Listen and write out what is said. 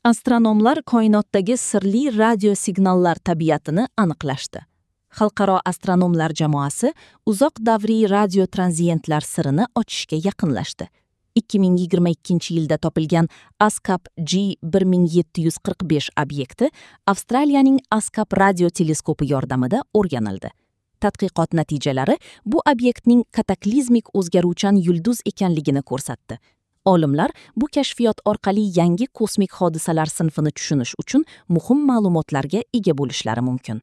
Astronomlar koinotdagi sirli radio signallar tabiatini aniqlashdi. Xalqaro astronomlar jamoasi uzoq davriy radio tranziyentlar sirini ochishga yaqinlashdi. 2022-yilda topilgan ASKAP G1745 obyekti Avstraliyaning ASKAP radio teleskopi yordamida o'rganildi. Tadqiqot natijalari bu obyektning kataklizmik o'zgaruvchan yulduz ekanligini ko'rsatdi. Olimlar bu kashfiyot orqali yangi kosmik hodisalar sinfini tushunish uchun muhim ma'lumotlarga ega bo'lishlari mumkin.